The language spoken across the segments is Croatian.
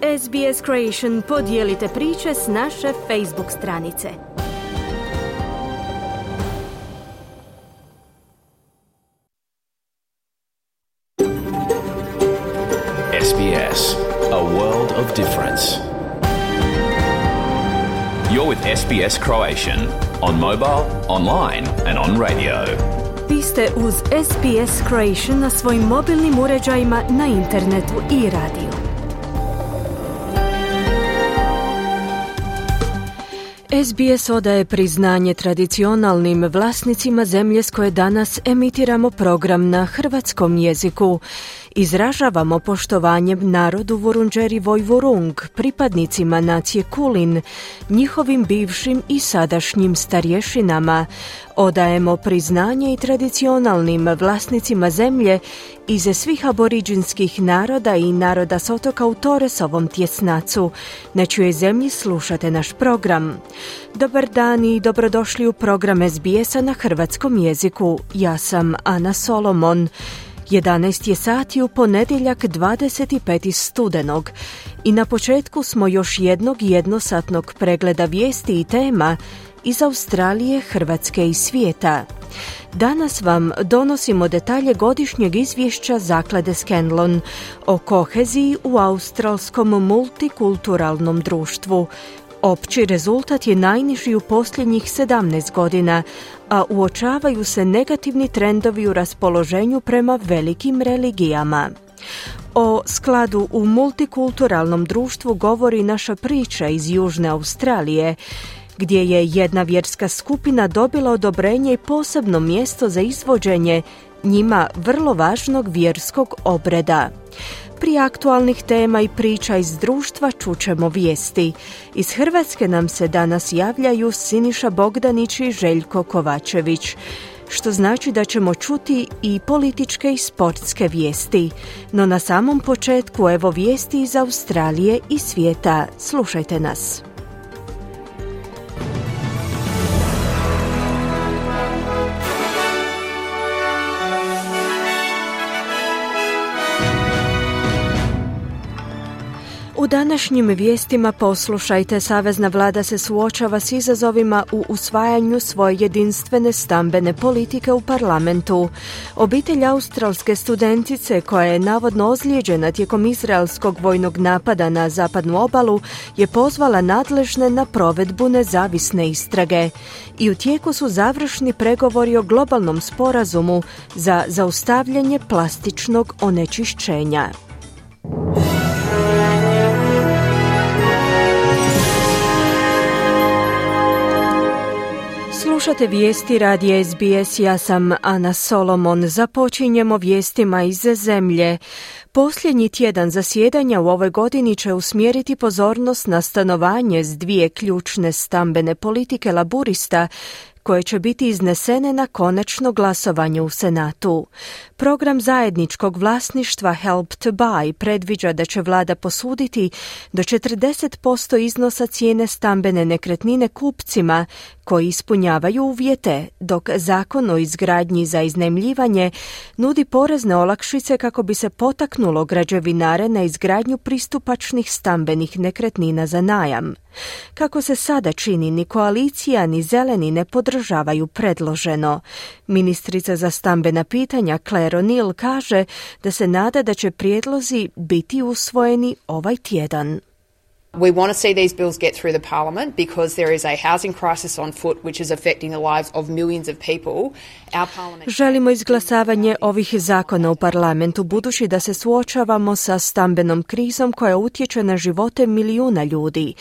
SBS Creation podijelite priče s naše Facebook stranice. SBS, a world of difference. You're with SBS Croatian on mobile, online and on radio. Vi ste uz SBS Creation na svojim mobilnim uređajima, na internetu i radiju. SBS odaje priznanje tradicionalnim vlasnicima zemlje s koje danas emitiramo program na hrvatskom jeziku. Izražavamo poštovanje narodu Vurundjeri Vojvurung, pripadnicima nacije Kulin, njihovim bivšim i sadašnjim starješinama. Odajemo priznanje i tradicionalnim vlasnicima zemlje iz svih aboriđinskih naroda i naroda s otoka u Torresovom tjesnacu. Na čijoj zemlji slušate naš program. Dobar dan i dobrodošli u program SBS-a na hrvatskom jeziku. Ja sam Ana Solomon. 11 je sati u ponedjeljak 25. studenog i na početku smo još jednog jednosatnog pregleda vijesti i tema iz Australije, Hrvatske i svijeta. Danas vam donosimo detalje godišnjeg izvješća Zaklade Scanlon o koheziji u australskom multikulturalnom društvu. Opći rezultat je najniži u posljednjih 17 godina, a uočavaju se negativni trendovi u raspoloženju prema velikim religijama. O skladu u multikulturalnom društvu govori naša priča iz Južne Australije, gdje je jedna vjerska skupina dobila odobrenje i posebno mjesto za izvođenje njima vrlo važnog vjerskog obreda. Prije aktualnih tema i priča iz društva čućemo vijesti. Iz Hrvatske nam se danas javljaju Siniša Bogdanić i Željko Kovačević, što znači da ćemo čuti i političke i sportske vijesti. No na samom početku evo vijesti iz Australije i svijeta. Slušajte nas. U današnjim vijestima poslušajte, savezna vlada se suočava s izazovima u usvajanju svoje jedinstvene stambene politike u parlamentu. Obitelj australske studentice koja je navodno ozlijeđena tijekom izraelskog vojnog napada na zapadnu obalu je pozvala nadležne na provedbu nezavisne istrage. I u tijeku su završni pregovori o globalnom sporazumu za zaustavljanje plastičnog onečišćenja. Slušate vijesti radija SBS, ja sam Ana Solomon. Započinjemo vijestima iz zemlje. Posljednji tjedan zasjedanja u ovoj godini će usmjeriti pozornost na stanovanje s dvije ključne stambene politike laburista koje će biti iznesene na konačno glasovanje u Senatu. Program zajedničkog vlasništva Help to Buy predviđa da će vlada posuditi do 40% iznosa cijene stambene nekretnine kupcima koji ispunjavaju uvjete, dok zakon o izgradnji za iznajmljivanje nudi porezne olakšice kako bi se potaknulo građevinare na izgradnju pristupačnih stambenih nekretnina za najam. Kako se sada čini, ni koalicija ni zeleni ne podržavaju predloženo. Ministrica za stambena pitanja Claire O'Neill kaže da se nada da će prijedlozi biti usvojeni ovaj tjedan. We want to see these bills get through the parliament because there is a housing crisis on foot which is affecting the lives of millions of people. Our parliament... Želimo izglasavanje ovih zakona u parlamentu budući da se suočavamo sa stambenom krizom koja utječe na živote milijuna ljudi.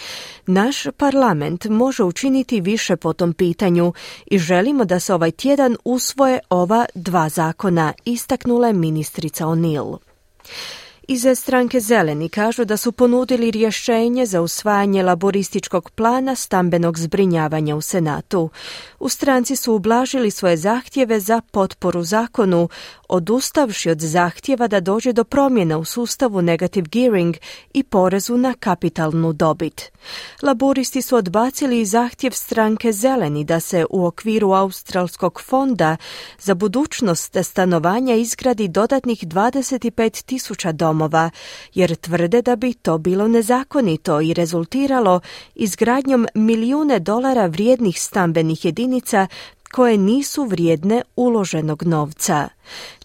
Naš parlament može učiniti više po tom pitanju i želimo da se ovaj tjedan usvoje ova dva zakona, istaknula je ministrica O'Neill. Iz stranke Zeleni kažu da su ponudili rješenje za usvajanje laborističkog plana stambenog zbrinjavanja u Senatu. U stranci su ublažili svoje zahtjeve za potporu zakonu, odustavši od zahtjeva da dođe do promjena u sustavu negative gearing i porezu na kapitalnu dobit. Laboristi su odbacili i zahtjev stranke Zeleni da se u okviru Australskog fonda za budućnost stanovanja izgradi dodatnih 25,000 domova domova, jer tvrde da bi to bilo nezakonito i rezultiralo izgradnjom milijune dolara vrijednih stambenih jedinica koje nisu vrijedne uloženog novca.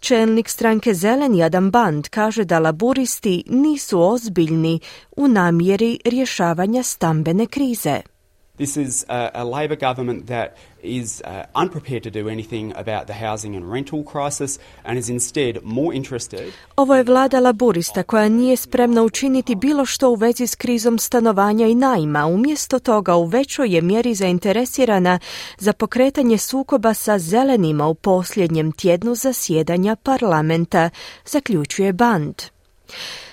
Čelnik stranke Zeleni Adam Band kaže da laburisti nisu ozbiljni u namjeri rješavanja stambene krize. This is a Labor government that is unprepared to do anything about the housing and rental crisis and is instead more interested. Ovo je vlada laburista koja nije spremna učiniti bilo što u vezi s krizom stanovanja i najma. Umjesto toga u većoj je mjeri zainteresirana za pokretanje sukoba sa zelenima u posljednjem tjednu zasjedanja parlamenta, zaključuje Band.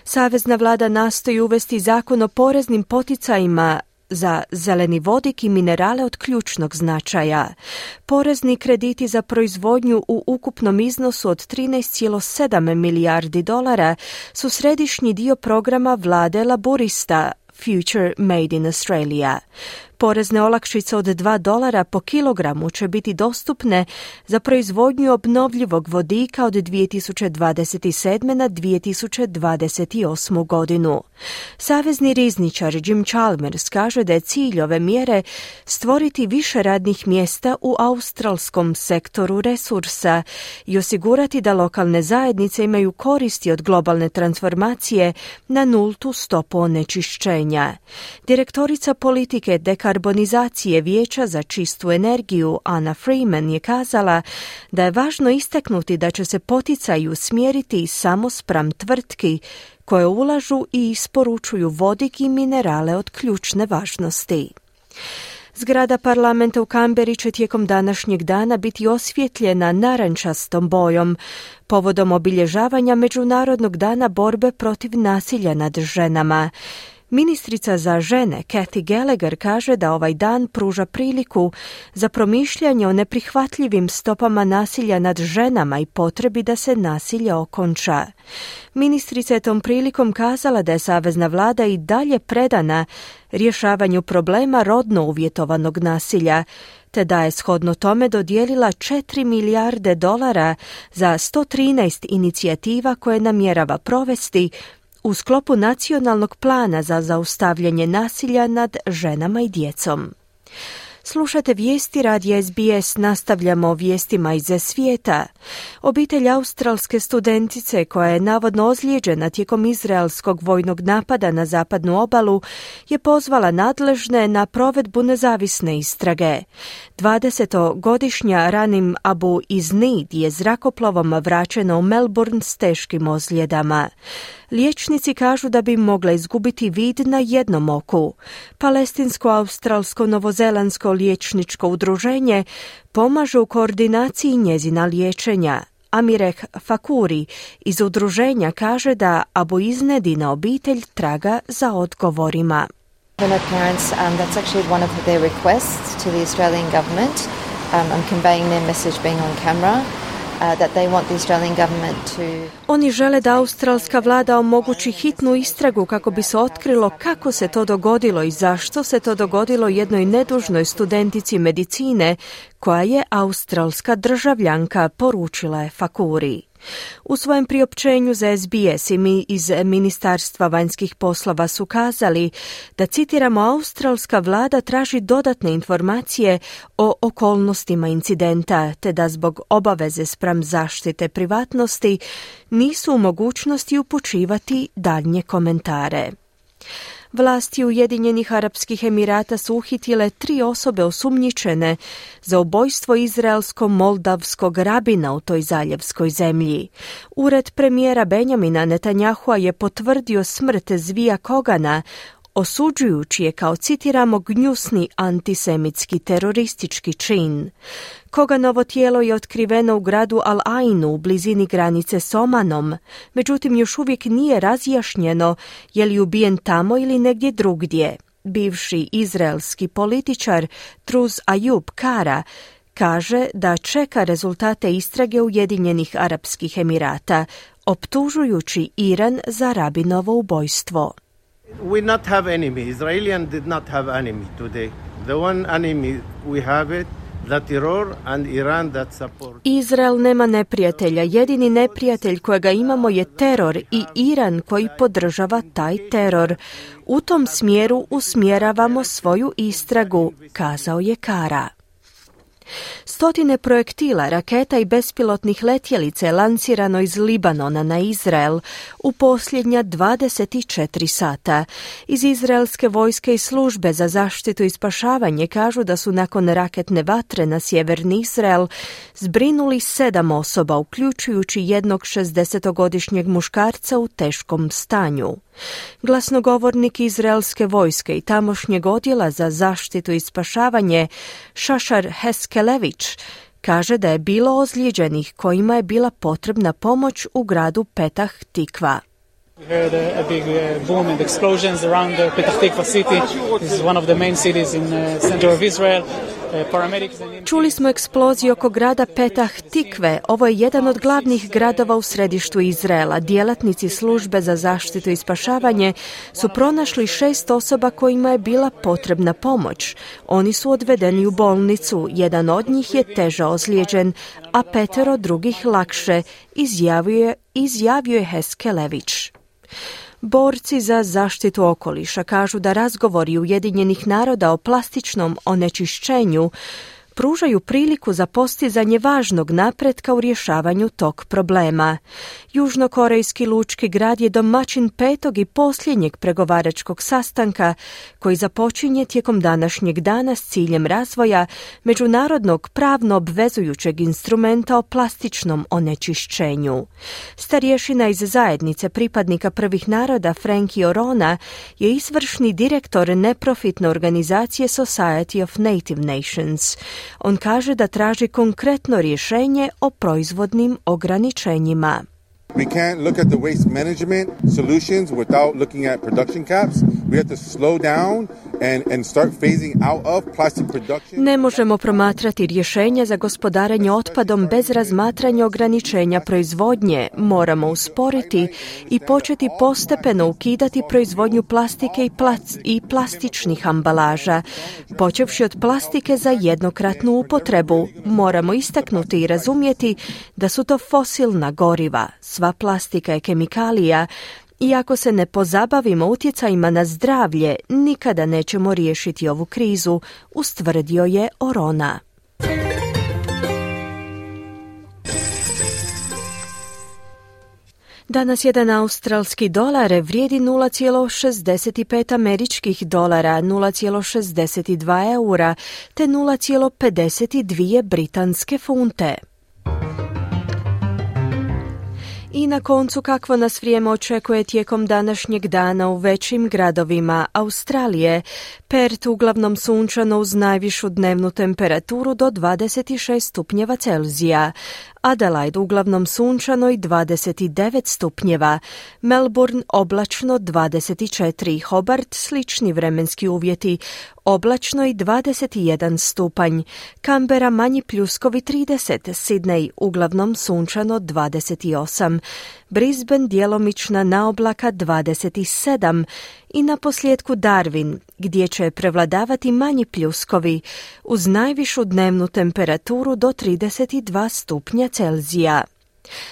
Savezna vlada nastoji uvesti zakon o poreznim poticajima za zeleni vodik i minerale od ključnog značaja. Porezni krediti za proizvodnju u ukupnom iznosu od 13,7 milijardi dolara su središnji dio programa vlade laburista Future Made in Australia. Porezne olakšice od $2 po kilogramu će biti dostupne za proizvodnju obnovljivog vodika od 2027. na 2028. godinu. Savezni rizničar Jim Chalmers kaže da je cilj ove mjere stvoriti više radnih mjesta u australskom sektoru resursa i osigurati da lokalne zajednice imaju koristi od globalne transformacije na nultu stopu onečišćenja. Direktorica politike dekarbonizacije Vijeća za čistu energiju Anna Freeman je kazala da je važno istaknuti da će se poticaji usmjeriti samo spram tvrtki koje ulažu i isporučuju vodik i minerale od ključne važnosti. Zgrada parlamenta u Kamberi će tijekom današnjeg dana biti osvjetljena narančastom bojom povodom obilježavanja Međunarodnog dana borbe protiv nasilja nad ženama. Ministrica za žene Kathy Gallagher kaže da ovaj dan pruža priliku za promišljanje o neprihvatljivim stopama nasilja nad ženama i potrebi da se nasilje okonča. Ministrica je tom prilikom kazala da je savezna vlada i dalje predana rješavanju problema rodno uvjetovanog nasilja, te da je shodno tome dodijelila $4 milijarde za 113 inicijativa koje namjerava provesti u sklopu nacionalnog plana za zaustavljanje nasilja nad ženama i djecom. Slušate vijesti radija SBS, nastavljamo vijestima iz svijeta. Obitelj australske studentice koja je navodno ozlijeđena tijekom izraelskog vojnog napada na zapadnu obalu je pozvala nadležne na provedbu nezavisne istrage. 20-godišnja Ranim Abu Iznid je zrakoplovom vraćena u Melbourne s teškim ozljedama. Liječnici kažu da bi mogla izgubiti vid na jednom oku. Palestinsko-australsko-novozelandsko liječničko udruženje pomaže u koordinaciji njezina liječenja. Amireh Fakuri iz udruženja kaže da Abu Iznedina obitelj traga za odgovorima. Her parents, that's actually one of their requests to the Australian government. I'm conveying their message being on camera. That they want the Australian government to... Oni žele da australska vlada omogući hitnu istragu kako bi se otkrilo kako se to dogodilo i zašto se to dogodilo jednoj nedužnoj studentici medicine koja je australska državljanka, poručila je Fakuri. U svojem priopćenju za SBS i mi iz Ministarstva vanjskih poslova su kazali da, citiramo, australska vlada traži dodatne informacije o okolnostima incidenta, te da zbog obaveze spram zaštite privatnosti nisu u mogućnosti upućivati daljnje komentare. Vlasti Ujedinjenih Arapskih Emirata su uhitile 3 osobe osumnjičene za ubojstvo izraelsko-moldavskog rabina u toj zaljevskoj zemlji. Ured premijera Benjamina Netanyahua je potvrdio smrt Zvija Kogana, osuđujući je kao, citiramo, gnjusni antisemitski teroristički čin. Koganovo tijelo je otkriveno u gradu Al-Ainu u blizini granice s Omanom, međutim još uvijek nije razjašnjeno je li ubijen tamo ili negdje drugdje. Bivši izraelski političar Truz Ayub Kara kaže da čeka rezultate istrage Ujedinjenih Arapskih Emirata, optužujući Iran za rabinovo ubojstvo. We not have enemy. Israelis did not have enemy today. The one enemy we have it Izrael nema neprijatelja. Jedini neprijatelj kojega imamo je teror i Iran koji podržava taj teror. U tom smjeru usmjeravamo svoju istragu, kazao je Kara. Stotine projektila, raketa i bespilotnih letjelica je lansirano iz Libanona na Izrael u posljednja 24 sata. Iz izraelske vojske i službe za zaštitu i spašavanje kažu da su nakon raketne vatre na sjeverni Izrael zbrinuli 7 osoba, uključujući jednog 60-godišnjeg muškarca u teškom stanju. Glasnogovornik izraelske vojske i tamošnjeg odjela za zaštitu i spašavanje Šašar Heskelević kaže da je bilo ozlijeđenih kojima je bila potrebna pomoć u gradu Petah Tikva. We heard a big boom and explosions around Petah Tikva city. This is one of the main cities in the center of Israel. Čuli smo eksploziju oko grada Petah Tikve. Ovo je jedan od glavnih gradova u središtu Izraela. Djelatnici službe za zaštitu i spašavanje su pronašli 6 osoba kojima je bila potrebna pomoć. Oni su odvedeni u bolnicu. Jedan od njih je teže ozlijeđen, a 5 drugih lakše, izjavio je Heskelević. Borci za zaštitu okoliša kažu da razgovori Ujedinjenih naroda o plastičnom onečišćenju pružaju priliku za postizanje važnog napretka u rješavanju tog problema. Južnokorejski lučki grad je domaćin 5. i posljednjeg pregovaračkog sastanka koji započinje tijekom današnjeg dana s ciljem razvoja međunarodnog pravno obvezujućeg instrumenta o plastičnom onečišćenju. Starješina iz zajednice pripadnika prvih naroda Frankie Orona je izvršni direktor neprofitne organizacije Society of Native Nations. On kaže da traži konkretno rješenje o proizvodnim ograničenjima. We can't look at the waste management solutions without looking at production caps. We have to slow down and start phasing out of plastic production. Ne možemo promatrati rješenja za gospodarenje otpadom bez razmatranja ograničenja proizvodnje. Moramo usporiti i početi postepeno ukidati proizvodnju plastike i plastičnih ambalaža. Počevši od plastike za jednokratnu upotrebu, moramo istaknuti i razumjeti da su to fosilna goriva. Sva plastika je kemikalija i ako se ne pozabavimo utjecajima na zdravlje, nikada nećemo riješiti ovu krizu, ustvrdio je Orona. Danas jedan australski dolar vrijedi 0,65 američkih dolara, 0,62 eura te 0,52 britanske funte. I na koncu kakvo nas vrijeme očekuje tijekom današnjeg dana u većim gradovima Australije. Perth uglavnom sunčano uz najvišu dnevnu temperaturu do 26 stupnjeva Celzija. Adelaide uglavnom sunčano i 29 stupnjeva. Melbourne oblačno 24. Hobart slični vremenski uvjeti. Oblačno i 21 stupanj. Canberra manji pljuskovi 30. Sydney uglavnom sunčano 28. Brisbane djelomična naoblaka 27. I na posljedku Darwin, gdje će prevladavati manji pljuskovi, uz najvišu dnevnu temperaturu do 32 stupnja Celzija.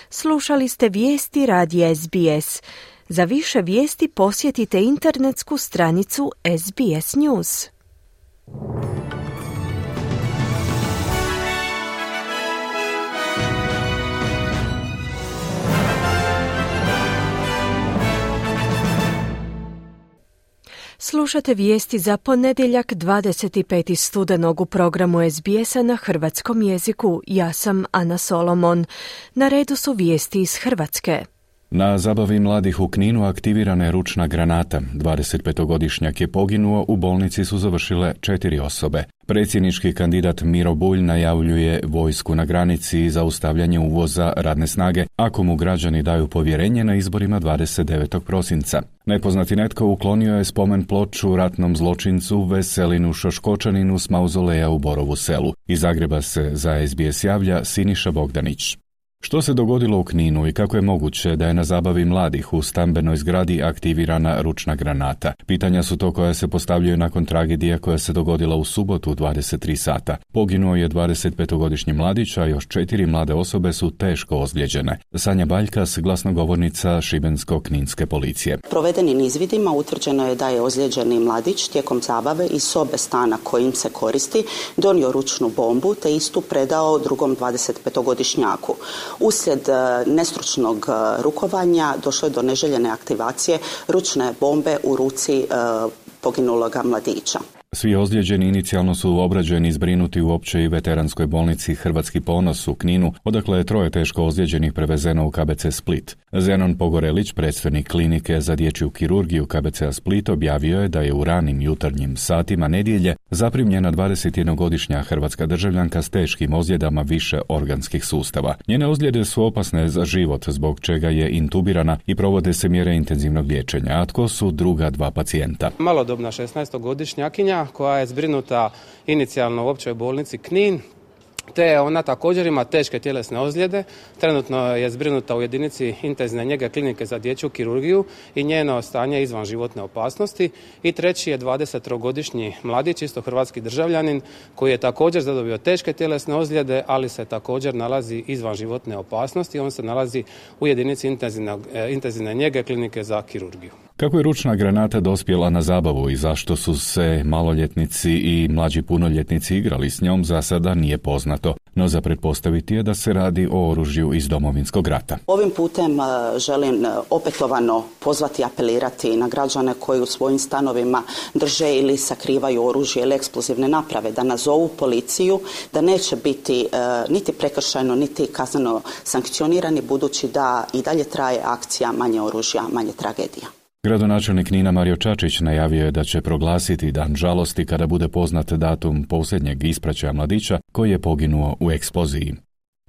Slušali ste vijesti radija SBS. Za više vijesti posjetite internetsku stranicu SBS News. Slušate vijesti za ponedjeljak 25. studenog u programu SBS-a na hrvatskom jeziku. Ja sam Ana Solomon. Na redu su vijesti iz Hrvatske. Na zabavi mladih u Kninu aktivirana je ručna granata. 25-godišnjak je poginuo, u bolnici su završile 4 osobe. Predsjednički kandidat Miro Bulj najavljuje vojsku na granici i zaustavljanje uvoza radne snage ako mu građani daju povjerenje na izborima 29. prosinca. Nepoznati netko uklonio je spomen ploču ratnom zločincu Veselinu Šoškočaninu s mauzoleja u Borovu Selu. Iz Zagreba se za SBS javlja Siniša Bogdanić. Što se dogodilo u Kninu i kako je moguće da je na zabavi mladih u stambenoj zgradi aktivirana ručna granata? Pitanja su to koja se postavljaju nakon tragedije koja se dogodila u subotu u 23 sata. Poginuo je 25-godišnji mladić, a još 4 mlade osobe su teško ozlijeđene. Sanja Baljkas, glasnogovornica Šibensko-kninske policije. Provedenim izvidima utvrđeno je da je ozlijeđeni mladić tijekom zabave iz sobe stana kojim se koristi donio ručnu bombu te istu predao drugom 25-godišnjaku. Uslijed nestručnog rukovanja došlo je do neželjene aktivacije ručne bombe u ruci poginuloga mladića. Svi ozlijeđeni inicijalno su obrađeni i zbrinuti u općoj i veteranskoj bolnici Hrvatski ponos u Kninu, odakle je 3 teško ozlijeđenih prevezeno u KBC Split. Zenon Pogorelić, predstojnik klinike za dječju kirurgiju KBC Split, objavio je da je u ranim jutarnjim satima nedjelje zaprimljena 21-godišnja hrvatska državljanka s teškim ozljedama više organskih sustava. Njene ozljede su opasne za život, zbog čega je intubirana i provode se mjere intenzivnog liječenja. A tko su druga 2 pacijenta? Malodobna 16-godišnjakinja koja je zbrinuta inicijalno u općoj bolnici Knin, te ona također ima teške tjelesne ozljede. Trenutno je zbrinuta u jedinici intenzivne njege klinike za dječju kirurgiju i njeno stanje izvan životne opasnosti. I treći je 23-godišnji mladić, isto hrvatski državljanin, koji je također zadobio teške tjelesne ozljede, ali se također nalazi izvan životne opasnosti. On se nalazi u jedinici intenzivne njege klinike za kirurgiju. Kako je ručna granata dospjela na zabavu i zašto su se maloljetnici i mlađi punoljetnici igrali s njom, za sada nije poznato, no za pretpostaviti je da se radi o oružju iz Domovinskog rata. Ovim putem želim opetovano pozvati i apelirati na građane koji u svojim stanovima drže ili sakrivaju oružje ili eksplozivne naprave, da nazovu policiju, da neće biti niti prekršajno, niti kazneno sankcionirani, budući da i dalje traje akcija manje oružja, manje tragedija. Gradonačelnik Knina Mario Čačić najavio je da će proglasiti dan žalosti kada bude poznat datum posljednjeg ispraćaja mladića koji je poginuo u eksploziji.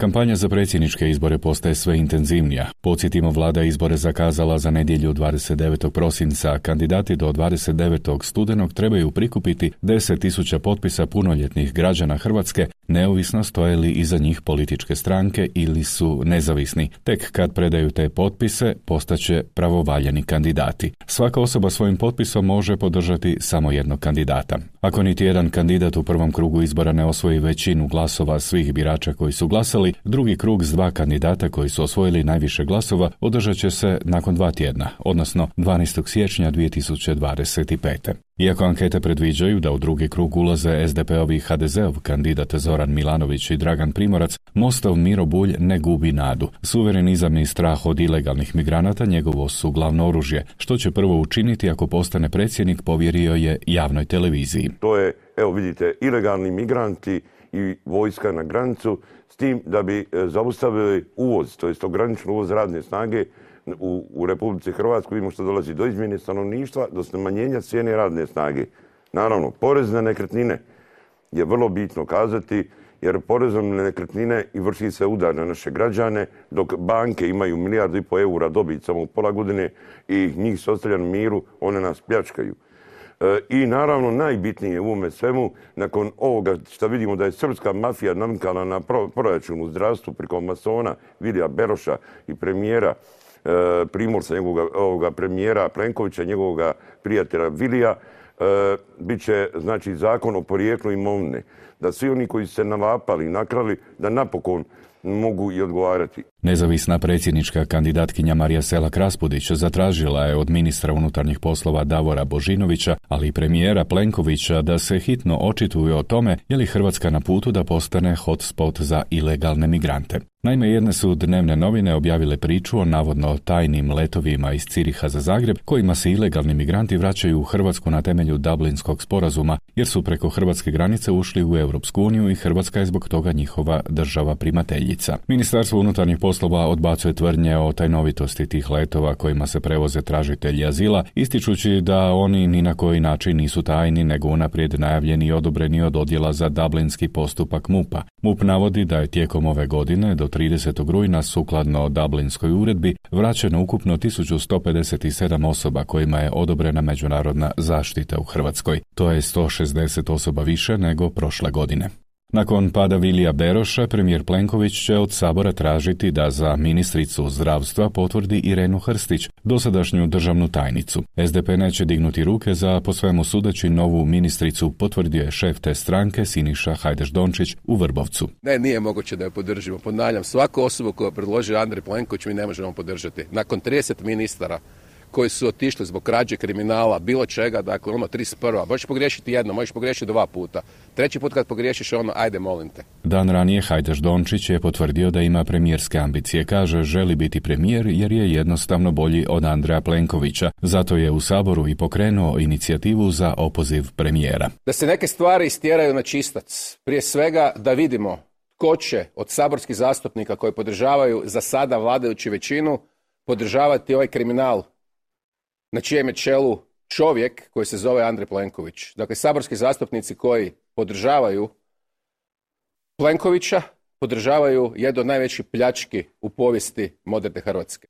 Kampanja za predsjedničke izbore postaje sve intenzivnija. Podsjetimo, vlada izbore zakazala za nedjelju 29. prosinca. Kandidati do 29. studenog trebaju prikupiti 10.000 potpisa punoljetnih građana Hrvatske, neovisno stoje li iza njih političke stranke ili su nezavisni. Tek kad predaju te potpise, postaće pravovaljani kandidati. Svaka osoba svojim potpisom može podržati samo jednog kandidata. Ako niti jedan kandidat u prvom krugu izbora ne osvoji većinu glasova svih birača koji su glasali, drugi krug s 2 kandidata koji su osvojili najviše glasova održat će se nakon 2 tjedna, odnosno 12. siječnja 2025. Iako ankete predviđaju da u drugi krug ulaze SDP-ov i HDZ-ov kandidat Zoran Milanović i Dragan Primorac, Mostov Miro Bulj ne gubi nadu. Suverenizam i strah od ilegalnih migranata njegovo su glavno oružje. Što će prvo učiniti ako postane predsjednik, povjerio je javnoj televiziji. To je, evo vidite, ilegalni migranti i vojska na granicu, s tim da bi zaustavili uvoz, to jest ograničen uvoz radne snage u Republici Hrvatskoj. Vidimo što dolazi do izmjene stanovništva, do smanjenja cijene radne snage. Naravno, porez na nekretnine je vrlo bitno kazati, jer porezom na nekretnine i vrši se udar na naše građane, dok banke imaju 1,5 milijardu eura dobit samo u pola godine i njih se ostavlja na miru, one nas pljačkaju. I naravno najbitnije u ovome svemu, nakon ovoga što vidimo da je srpska mafija namikala na proračun u zdravstvu preko masona Vilija Beroša i premijera Primorca, njegovoga premijera Plenkovića, njegovoga prijatelja Vilija, bit će znači zakon o porijeklu imovine. Da svi oni koji su se nalapali i nakrali, da napokon mogu i odgovarati. Nezavisna predsjednička kandidatkinja Marija Selak-Raspudić zatražila je od ministra unutarnjih poslova Davora Božinovića, ali i premijera Plenkovića da se hitno očituje o tome je li Hrvatska na putu da postane hotspot za ilegalne migrante. Naime, jedne su dnevne novine objavile priču o navodno tajnim letovima iz Ciriha za Zagreb, kojima se ilegalni migranti vraćaju u Hrvatsku na temelju Dublinskog sporazuma, jer su preko hrvatske granice ušli u Europsku uniju i Hrvatska je zbog toga njihova država primateljica. Ministarstvo unutarnjih poslova odbacuje tvrdnje o tajnovitosti tih letova kojima se prevoze tražitelji azila, ističući da oni ni na koji način nisu tajni, nego unaprijed najavljeni i odobreni od odjela za dublinski postupak MUP-a. MUP navodi da je tijekom ove godine do 30. rujna sukladno Dublinskoj uredbi vraćeno ukupno 1157 osoba kojima je odobrena međunarodna zaštita u Hrvatskoj. To je 160 osoba više nego prošle godine. Nakon pada Vilija Beroša, premijer Plenković će od Sabora tražiti da za ministricu zdravstva potvrdi Irenu Hrstić, dosadašnju državnu tajnicu. SDP neće dignuti ruke za, po svemu sudeći, novu ministricu, potvrdio je šef te stranke Siniša Hajdaš-Dončić u Vrbovcu. Ne, nije moguće da je podržimo. Ponavljam, svaku osobu koju predloži Andrej Plenković mi ne možemo podržati. Nakon 30 ministara koji su otišli zbog krađe, kriminala, bilo čega, dakle 31. Možeš pogriješiti jedno, možeš pogriješiti 2 puta. 3. put kad pogriješiš ajde molim te. Dan ranije Hajdaš-Dončić je potvrdio da ima premijerske ambicije. Kaže, želi biti premijer jer je jednostavno bolji od Andreja Plenkovića. Zato je u Saboru i pokrenuo inicijativu za opoziv premijera. Da se neke stvari istjeraju na čistac. Prije svega da vidimo ko će od saborskih zastupnika koji podržavaju za sada vladajuću većinu podržavati ovaj kriminal na čijem je čelu čovjek koji se zove Andrej Plenković. Dakle, saborski zastupnici koji podržavaju Plenkovića podržavaju jednu od najvećih pljački u povijesti moderne Hrvatske.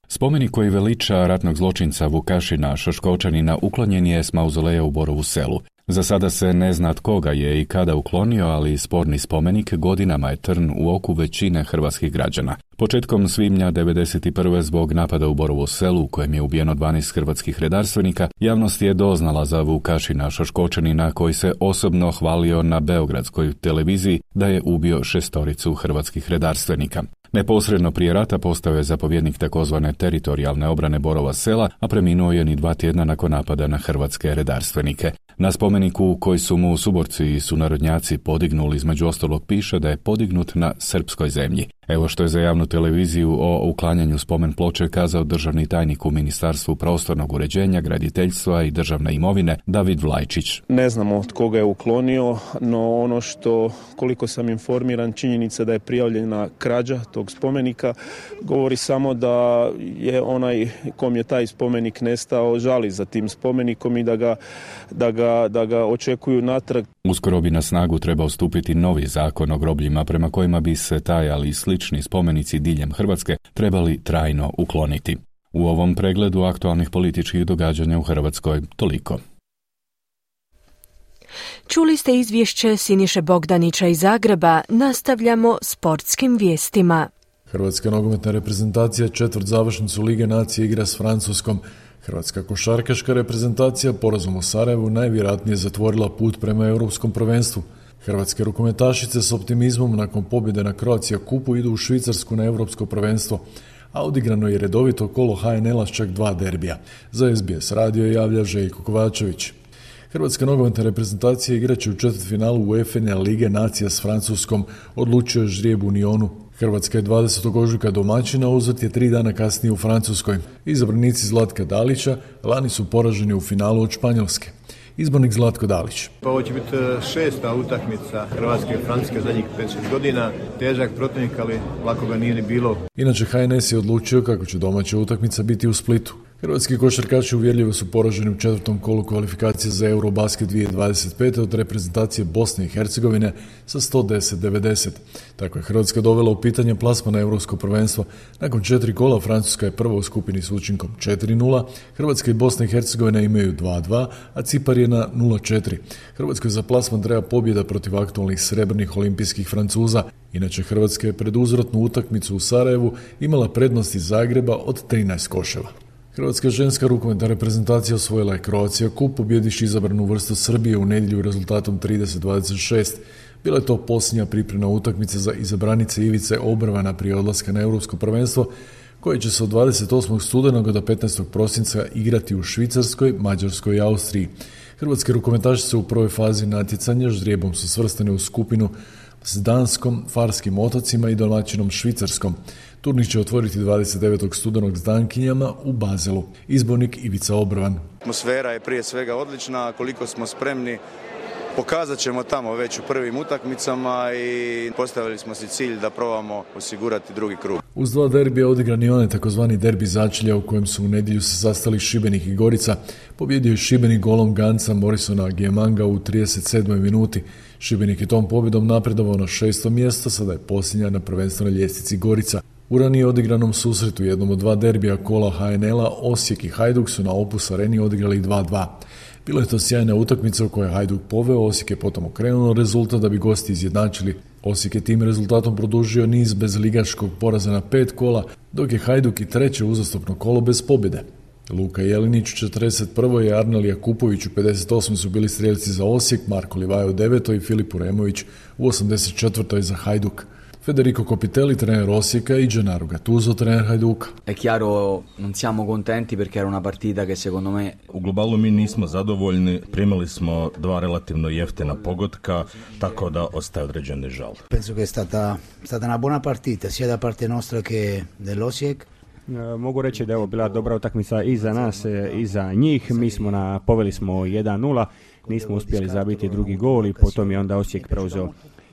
Spomenik koji veliča ratnog zločinca Vukašina Šoškočanina uklonjen je s mauzoleja u Borovu Selu. Za sada se ne zna tko ga je i kada uklonio, ali sporni spomenik godinama je trn u oku većine hrvatskih građana. Početkom svibnja 1991. zbog napada u Borovu Selu, u kojem je ubijeno 12 hrvatskih redarstvenika, javnost je doznala za Vukašina Šoškočanina koji se osobno hvalio na beogradskoj televiziji da je ubio 6 hrvatskih redarstvenika. Neposredno prije rata postao je zapovjednik takozvane teritorijalne obrane Borova Sela, a preminuo je ni 2 tjedna nakon napada na hrvatske redarstvenike. Na spomeniku koji su mu suborci i sunarodnjaci podignuli, između ostalog piše da je podignut na srpskoj zemlji. Evo što je za javnu televiziju o uklanjanju spomen ploče kazao državni tajnik u Ministarstvu prostornog uređenja, graditeljstva i državne imovine David Vlajčić. Ne znamo tko ga je uklonio, no ono što, koliko sam informiran, činjenica da je prijavljena krađa tog spomenika govori samo da je onaj kom je taj spomenik nestao žali za tim spomenikom i da ga očekuju natrag. Uskoro bi na snagu trebao stupiti novi zakon o grobljima prema kojima bi se taj, ali i slični spomenici diljem Hrvatske trebali trajno ukloniti. U ovom pregledu aktualnih političkih događanja u Hrvatskoj toliko. Čuli ste izvješće Siniše Bogdanića iz Zagreba, nastavljamo sportskim vijestima. Hrvatska nogometna reprezentacija četvrtzavršnicu Lige nacije igra s Francuskom. Hrvatska košarkaška reprezentacija porazom u Sarajevu najvjerojatnije zatvorila put prema europskom prvenstvu. Hrvatske rukometašice s optimizmom nakon pobjede na Croatia Cupu idu u Švicarsku na europsko prvenstvo, a odigrano je redovito kolo HNL-a s čak 2 derbija. Za SBS radio javlja Željko Kovačević. Hrvatska nogometna reprezentacija igraće u četvrtfinalu UEFA Lige nacija s Francuskom, odlučio je ždrijeb u Nyonu. Hrvatska je 20. ožujka domaćina, uzvrt je 3 dana kasnije u Francuskoj. Izabranici Zlatka Dalića lani su poraženi u finalu od Španjolske. Izbornik Zlatko Dalić. Ovo će biti 6. utakmica Hrvatske i Francuske zadnjih 5-6 godina. Težak protivnik, ali lako ga nije ni bilo. Inače, HNS je odlučio kako će domaća utakmica biti u Splitu. Hrvatski košarkaši uvjerljivo su poraženi u 4. kolu kvalifikacije za Eurobasket 2025. od reprezentacije Bosne i Hercegovine sa 110-90. Tako je Hrvatska dovela u pitanje plasma na Europsko prvenstvo. Nakon 4 kola Francuska je prva u skupini s učinkom 4-0, Hrvatska i Bosna i Hercegovina imaju 2-2, a Cipar je na 0-4. Hrvatskoj za plasman treba pobjeda protiv aktualnih srebrnih olimpijskih Francuza. Inače, Hrvatska je pred uzvratnu utakmicu u Sarajevu imala prednost iz Zagreba od 13 koševa. Hrvatska ženska rukometna reprezentacija osvojila je Croatia Cup, pobjediš izabranu vrstu Srbije u nedjelju rezultatom 30-26. Bila je to posljednja pripremna utakmica za izabranice Ivice Obrvana prije odlaska na Europsko prvenstvo, koje će se od 28. studenog do 15. prosinca igrati u Švicarskoj, Mađarskoj i Austriji. Hrvatske rukometašice u prvoj fazi natjecanja ždrijebom su svrstane u skupinu s Danskom, Farskim otocima i domaćinom Švicarskom. Turnir će otvoriti 29. studenog s Dankinjama u Bazelu. Izbornik Ivica Obrvan. Atmosfera je prije svega odlična, koliko smo spremni pokazat ćemo tamo već u prvim utakmicama i postavili smo si cilj da probamo osigurati drugi krug. Uz 2 derbija odigran je onaj takozvani derbi začelja u kojem su u nedjelju se sastali Šibenik i Gorica. Pobjedio je Šibenik golom Ganca Morrisona Giemanga u 37. minuti. Šibenik je tom pobjedom napredovao na 6. mjesto, sada je posljednja na prvenstvenoj ljestvici Gorica. U ranije odigranom susretu jednom od 2 derbija kola HNL-a Osijek i Hajduk su na Opus Areni odigrali 2-2. Bila je to sjajna utakmica u kojoj je Hajduk poveo, Osijek je potom okrenuo rezultat da bi gosti izjednačili. Osijek je tim rezultatom produžio niz bez ligaškog poraza na 5 kola, dok je Hajduk i treće uzastopno kolo bez pobjede. Luka Jelinić u 41. i Arnel Jakupović u 58. su bili strijelci za Osijek, Marko Livaja u 9. i Filip Uremović u 84. za Hajduk. Federico Copitelli, trener Osijeka, i Gennaro Gattuso, trener Hajduka. È chiaro, non siamo contenti perché era una partita che secondo me... U globalu mi nismo zadovoljni, primili smo 2 relativno jeftina pogotka, tako da ostaje određeni žal. Penso che è stata una buona partita, sia da parte nostra che dell'Osijek. Mogu reći da je ovo bila dobra utakmica i za nas i za njih. Poveli smo 1-0, nismo uspjeli zabiti drugi gol i potom je onda Osijek preuzeo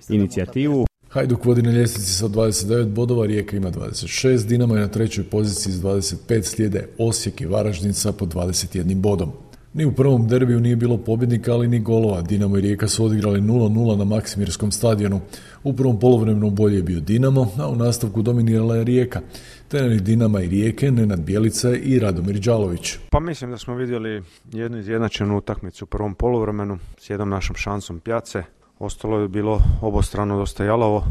inicijativu. Hajduk vodi na ljestvici sa 29 bodova, Rijeka ima 26, Dinamo je na trećoj poziciji s 25, slijede Osijek i Varaždin sa po 21 bodom. Ni u prvom derbiju nije bilo pobjednika, ali ni golova. Dinamo i Rijeka su odigrali 0-0 na Maksimirskom stadionu. U prvom poluvremenu bolje je bio Dinamo, a u nastavku dominirala je Rijeka. Treneri Dinama i Rijeke, Nenad Bjelica i Radomir Đalović. Pa mislim da smo vidjeli jednu izjednačenu utakmicu u prvom poluvremenu s jednom našom šansom Pjace. Ostalo je bilo obostrano dosta jalovo.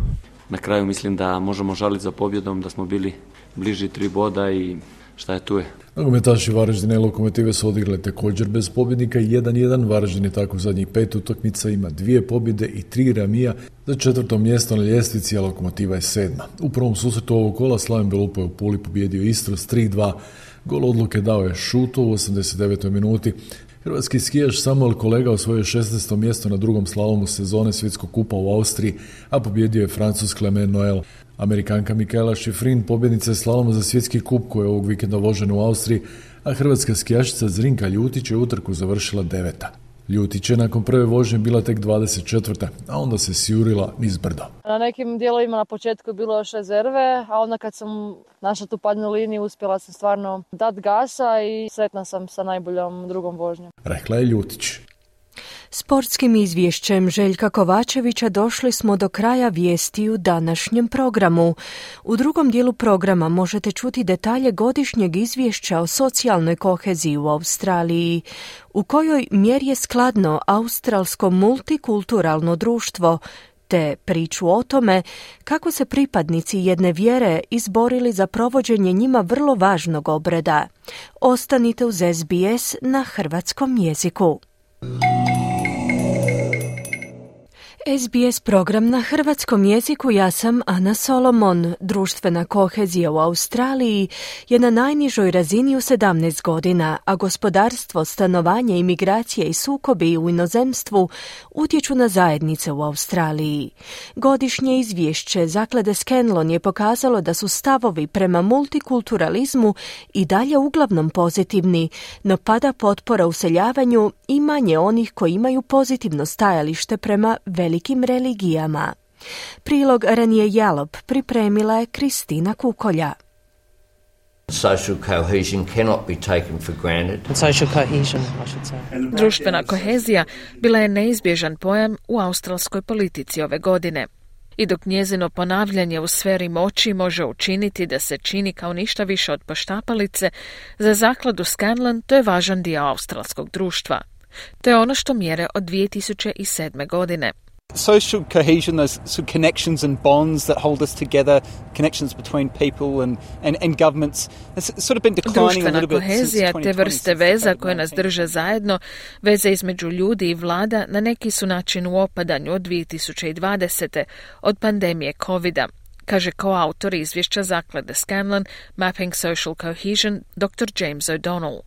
Na kraju mislim da možemo žaliti za pobjedom, da smo bili bliži 3 boda i šta je tu je. Nogometaši Varaždina i Lokomotive su odigrali također bez pobjednika 1-1. Varaždin je tako zadnjih 5 utakmica, ima 2 pobjede i 3 remija. Za 4. mjesto na ljestvici, a Lokomotiva je 7. U prvom susretu ovog kola Slaven Belupo je u Puli pobjedio Istru s 3-2. Gol odluke dao je Šuto u 89. minuti. Hrvatski skijaš Samuel Kolega osvojio 16. mjesto na drugom slalomu sezone Svjetskog kupa u Austriji, a pobjedio je Francuz Clement Noel. Amerikanka Mikaela Šifrin pobjednica je slaloma za Svjetski kup koji je ovog vikenda vožen u Austriji, a hrvatska skijašica Zrinka Ljutić je utrku završila 9. Ljutić je nakon prve vožnje bila tek 24. a onda se sjurila niz brdo. Na nekim dijelovima na početku je bilo još rezerve, a onda kad sam našla tu padnu liniju uspjela sam stvarno dat gasa i sretna sam sa najboljom drugom vožnjom. Rekla je Ljutić. Sportskim izvješćem Željka Kovačevića došli smo do kraja vijesti u današnjem programu. U drugom dijelu programa možete čuti detalje godišnjeg izvješća o socijalnoj koheziji u Australiji, u kojoj mjeri je skladno australsko multikulturalno društvo, te priču o tome kako se pripadnici jedne vjere izborili za provođenje njima vrlo važnog obreda. Ostanite uz SBS na hrvatskom jeziku. SBS program na hrvatskom jeziku, ja sam Ana Solomon. Društvena kohezija u Australiji je na najnižoj razini u 17 godina, a gospodarstvo, stanovanje, imigracije i sukobi u inozemstvu utječu na zajednice u Australiji. Godišnje izvješće Zaklade Scanlon je pokazalo da su stavovi prema multikulturalizmu i dalje uglavnom pozitivni, no pada potpora useljavanju i manje onih koji imaju pozitivno stajalište prema velikim religijama. Prilog Ranije Jalop pripremila je Kristina Kukolja. Social cohesion cannot be taken for granted. Social cohesion, I should say. Društvena kohezija bila je neizbježan pojam u australskoj politici ove godine. I dok njezino ponavljanje u sferi moći može učiniti da se čini kao ništa više od poštapalice, za zakladu Scanlon to je važan dio australskog društva. To je ono što mjere od 2007. godine. Social cohesion, those sort of connections and bonds that hold us together, connections between people and governments, has sort of been declining a little bit. Društvena kohezija, te vrste veza koje nas drže zajedno, veze između ljudi i vlada, na neki su način u opadanju od 2020. od pandemije COVID-a, kaže koautor izvješća zaklade Scanlon Mapping Social Cohesion dr. James O'Donnell.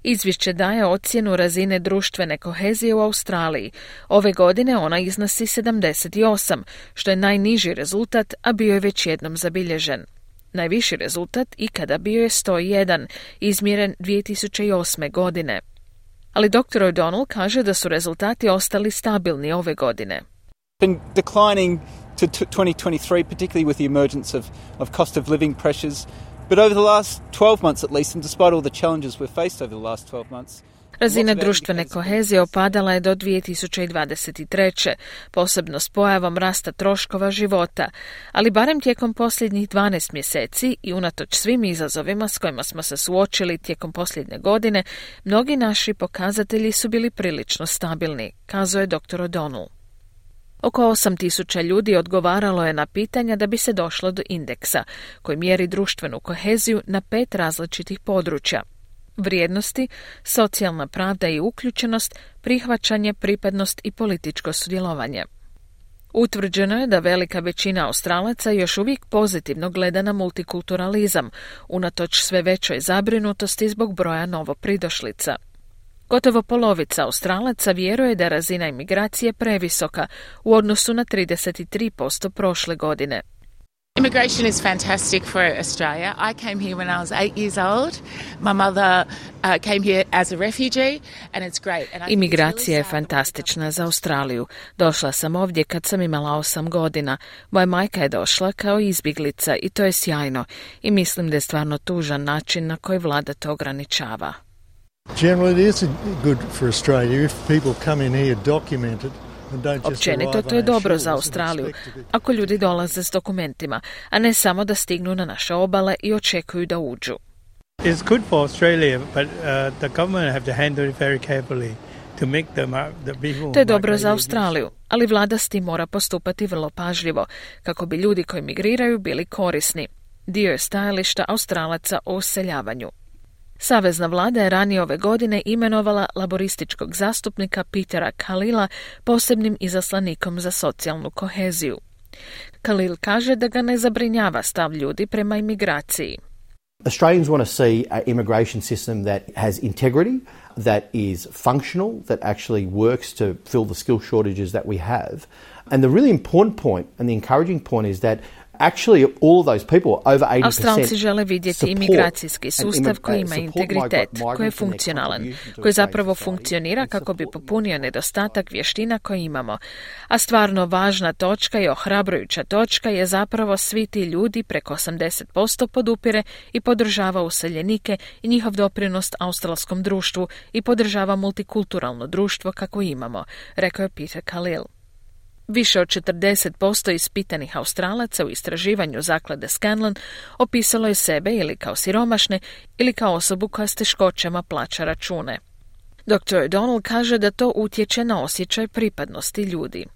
Izvješće daje ocjenu razine društvene kohezije u Australiji. Ove godine ona iznosi 78, što je najniži rezultat, a bio je već jednom zabilježen. Najviši rezultat ikada bio je 101, izmjeren 2008. godine. Ali dr. O'Donnell kaže da su rezultati ostali stabilni ove godine. Been declining to 2023, particularly with the emergence of cost of living pressures. But over the last 12 months at least, and despite all the challenges we've faced over the last 12 months, Razina društvene kohezije opadala je do 2023. posebno s pojavom rasta troškova života, ali barem tijekom posljednjih 12 mjeseci i unatoč svim izazovima s kojima smo se suočili tijekom posljednje godine, mnogi naši pokazatelji su bili prilično stabilni, kazao je dr. O'Donnell. Oko 8.000 ljudi odgovaralo je na pitanja da bi se došlo do indeksa, koji mjeri društvenu koheziju na 5 različitih područja: vrijednosti, socijalna pravda i uključenost, prihvaćanje, pripadnost i političko sudjelovanje. Utvrđeno je da velika većina Australaca još uvijek pozitivno gleda na multikulturalizam, unatoč sve većoj zabrinutosti zbog broja novopridošlica. Gotovo polovica Australaca vjeruje da je razina imigracije previsoka u odnosu na 33% prošle godine. Immigration is fantastic for Australia. I came here when I was 8 years old. My mother came here as a refugee and it's great. Imigracija je fantastična za Australiju. Došla sam ovdje kad sam imala 8 godina. Moja majka je došla kao izbjeglica i to je sjajno. I mislim da je stvarno tužan način na koji vlada to ograničava. Generally it is good for Australia if people come in here documented. Općenito to je dobro za Australiju, ako ljudi dolaze s dokumentima, a ne samo da stignu na naše obale i očekuju da uđu. It's good for Australia, but the government have to handle it very carefully to make the people. To je dobro za Australiju, ali vlada s tim mora postupati vrlo pažljivo, kako bi ljudi koji migriraju bili korisni. Dio je stajališta Australaca o useljavanju. Savezna vlada je ranije ove godine imenovala laborističkog zastupnika Petera Khalila posebnim izaslanikom za socijalnu koheziju. Khalil kaže da ga ne zabrinjava stav ljudi prema imigraciji. Australians want to see an immigration system that has integrity, that is functional, that actually works to fill the skill shortages that we have. And the really important point and the encouraging point is that actually all of those people, over 80%, Australci žele vidjeti imigracijski sustav koji ima integritet, koji je funkcionalan, koji zapravo funkcionira kako bi popunio nedostatak vještina koje imamo. A stvarno važna točka i ohrabrujuća točka je zapravo svi ti ljudi, preko 80% podupire i podržava useljenike i njihov doprinos australskom društvu i podržava multikulturalno društvo kako imamo, rekao je Peter Khalil. Više od 40% ispitanih Australaca u istraživanju zaklade Scanlon opisalo je sebe ili kao siromašne ili kao osobu koja s teškoćama plaća račune. Dr. O'Donnell kaže da to utječe na osjećaj pripadnosti ljudi.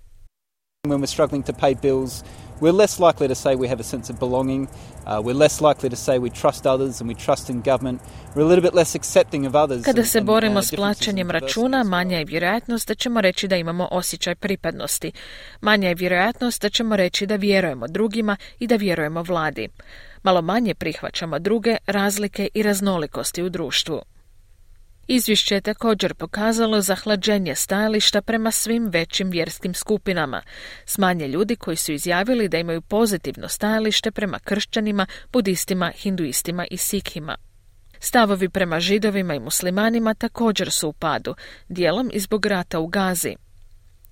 When we're struggling to pay bills, we're less likely to say we have a sense of belonging. We're less likely to say we trust others and we trust in government. We're a little bit less accepting of others. Kada se borimo s plaćanjem računa, manja je vjerojatnost da ćemo reći da imamo osjećaj pripadnosti. Manja je vjerojatnost da ćemo reći da vjerujemo drugima i da vjerujemo vladi. Malo manje prihvaćamo druge, razlike i raznolikosti u društvu. Izvješće je također pokazalo zahlađenje stajališta prema svim većim vjerskim skupinama, s manje ljudi koji su izjavili da imaju pozitivno stajalište prema kršćanima, budistima, hinduistima i sikhima. Stavovi prema židovima i muslimanima također su u padu, dijelom i zbog rata u Gazi.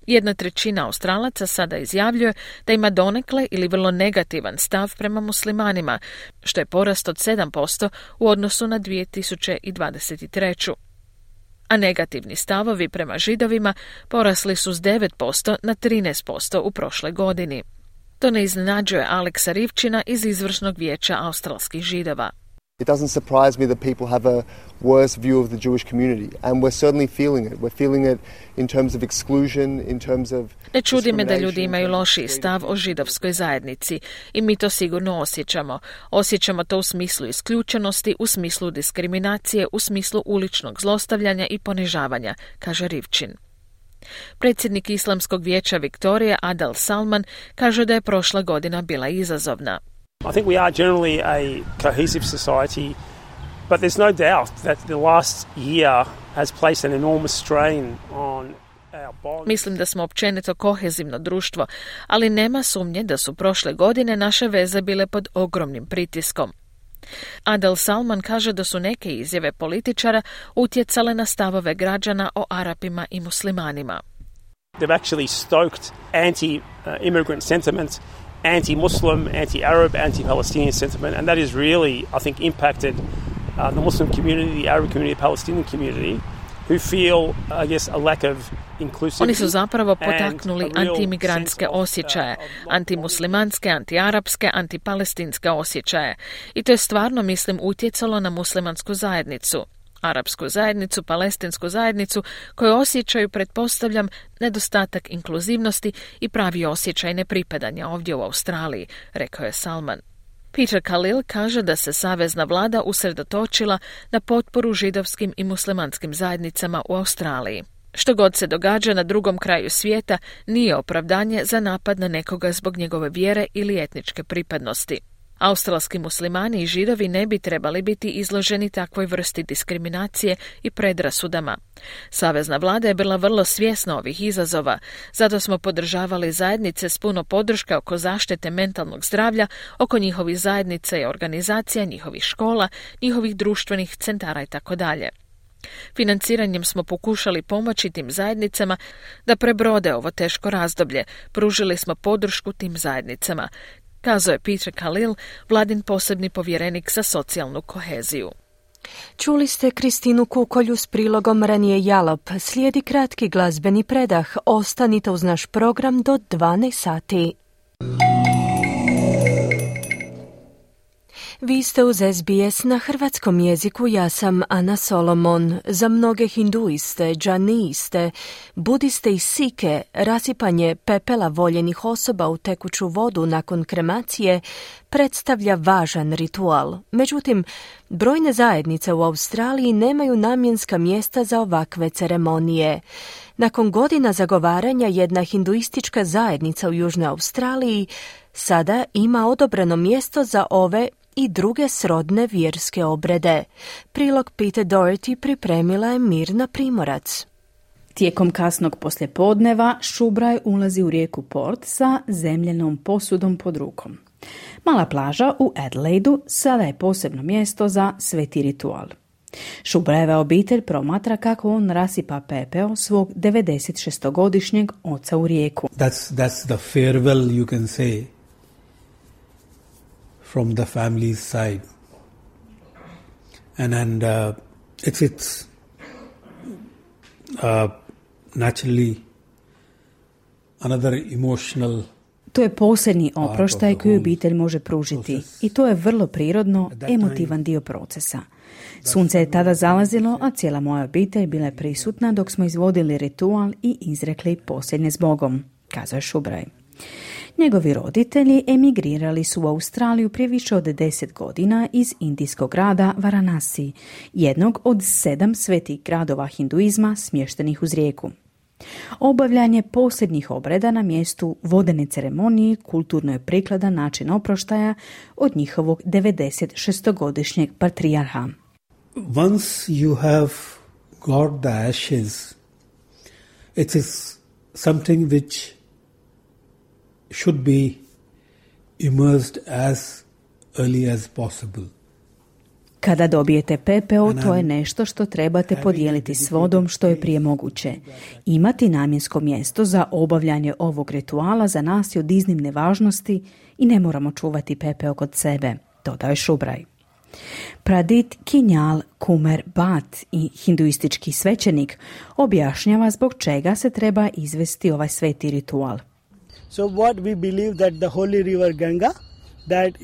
1/3 Australaca sada izjavljuje da ima donekle ili vrlo negativan stav prema muslimanima, što je porast od 7% u odnosu na 2023. A negativni stavovi prema židovima porasli su s 9% na 13% u prošloj godini. To ne iznenađuje Aleksa Rivčina iz izvršnog vijeća australskih židova. It doesn't surprise me that people have a worse view of the Jewish community, and we're certainly feeling it. We're feeling it in terms of exclusion, in terms of Ne čudi me da ljudi imaju lošiji stav o židovskoj zajednici i mi to sigurno osjećamo. Osjećamo to u smislu isključenosti, u smislu diskriminacije, u smislu uličnog zlostavljanja i ponižavanja, kaže Rivčin. Predsjednik Islamskog vijeća Viktorije Adel Salman kaže da je prošla godina bila izazovna. I think we are generally a cohesive society, but there's no doubt that the last year has placed an enormous strain on our bonds. Mislim da smo općenito kohezivno društvo, ali nema sumnje da su prošle godine naše veze bile pod ogromnim pritiskom. Adel Salman kaže da su neke izjave političara utjecale na stavove građana o Arapima i muslimanima. They've actually stoked anti-immigrant sentiment, anti-Muslim, anti-Arab, anti-Palestinian sentiment, and that has really, I think, impacted the Muslim community, the Arab community, the Palestinian community, who feel, I guess, a lack of inclusivity. Oni su zapravo potaknuli antiimigrantske osjećaje, antimuslimanske, antiarapske, antipalestinske osjećaje. I to je stvarno, mislim, utjecalo na muslimansku zajednicu, arapsku zajednicu, palestinsku zajednicu, koje osjećaju, pretpostavljam, nedostatak inkluzivnosti i pravi osjećaj nepripadanja ovdje u Australiji, rekao je Salman. Peter Khalil kaže da se savezna vlada usredotočila na potporu židovskim i muslimanskim zajednicama u Australiji. Što god se događa na drugom kraju svijeta nije opravdanje za napad na nekoga zbog njegove vjere ili etničke pripadnosti. Australski muslimani i židovi ne bi trebali biti izloženi takvoj vrsti diskriminacije i predrasudama. Savezna vlada je bila vrlo svjesna ovih izazova, zato smo podržavali zajednice s puno podrške oko zaštite mentalnog zdravlja, oko njihovih zajednica i organizacija, njihovih škola, njihovih društvenih centara itd. Financiranjem smo pokušali pomoći tim zajednicama da prebrode ovo teško razdoblje, pružili smo podršku tim zajednicama, kazao je Peter Khalil, vladin posebni povjerenik za socijalnu koheziju. Čuli ste Kristinu Kukolju s prilogom Ranije Jalop. Slijedi kratki glazbeni predah. Ostanite uz naš program do 12 sati. Vi ste uz SBS na hrvatskom jeziku, ja sam Ana Solomon. Za mnoge hinduiste, džaniste, budiste i sike, rasipanje pepela voljenih osoba u tekuću vodu nakon kremacije predstavlja važan ritual. Međutim, brojne zajednice u Australiji nemaju namjenska mjesta za ovakve ceremonije. Nakon godina zagovaranja, jedna hinduistička zajednica u Južnoj Australiji sada ima odobreno mjesto za ove i druge srodne vjerske obrede. Prilog Peter Doherty pripremila je Mirna Primorac. Tijekom kasnog poslijepodneva Šubraj ulazi u rijeku Port sa zemljenom posudom pod rukom. Mala plaža u Adelaidu sada je posebno mjesto za sveti ritual. Šubrajeva obitelj promatra kako on rasipa pepeo svog 96-godišnjeg oca u rijeku. That's the farewell, you can say, from the family's side. And it's naturally another emotional. To je posljednji oproštaj koji obitelj može pružiti i to je vrlo prirodno, emotivan dio procesa. Sunce je tada zalazilo, a cijela moja obitelj bila je prisutna dok smo izvodili ritual i izrekli posljednje s Bogom, kazao je Šubraj. Njegovi roditelji emigrirali su u Australiju prije više od 10 godina iz indijskog grada Varanasi, jednog od 7 svetih gradova hinduizma smještenih uz rijeku. Obavljanje posljednjih obreda na mjestu vodene ceremonije kulturno je prikladan način oproštaja od njihovog 96-godišnjeg patrijarha. Once you have got the ashes, it is something which should be immersed as early as possible. Kada dobijete pepeo, to je nešto što trebate podijeliti s vodom što je prije moguće. Imati namjensko mjesto za obavljanje ovog rituala za nas je od iznimne važnosti i ne moramo čuvati pepeo kod sebe, dodao je Šubraj. Pradit Kinjal Kumer Bat i hinduistički svećenik objašnjava zbog čega se treba izvesti ovaj sveti ritual. So what we believe that the holy river Ganga, that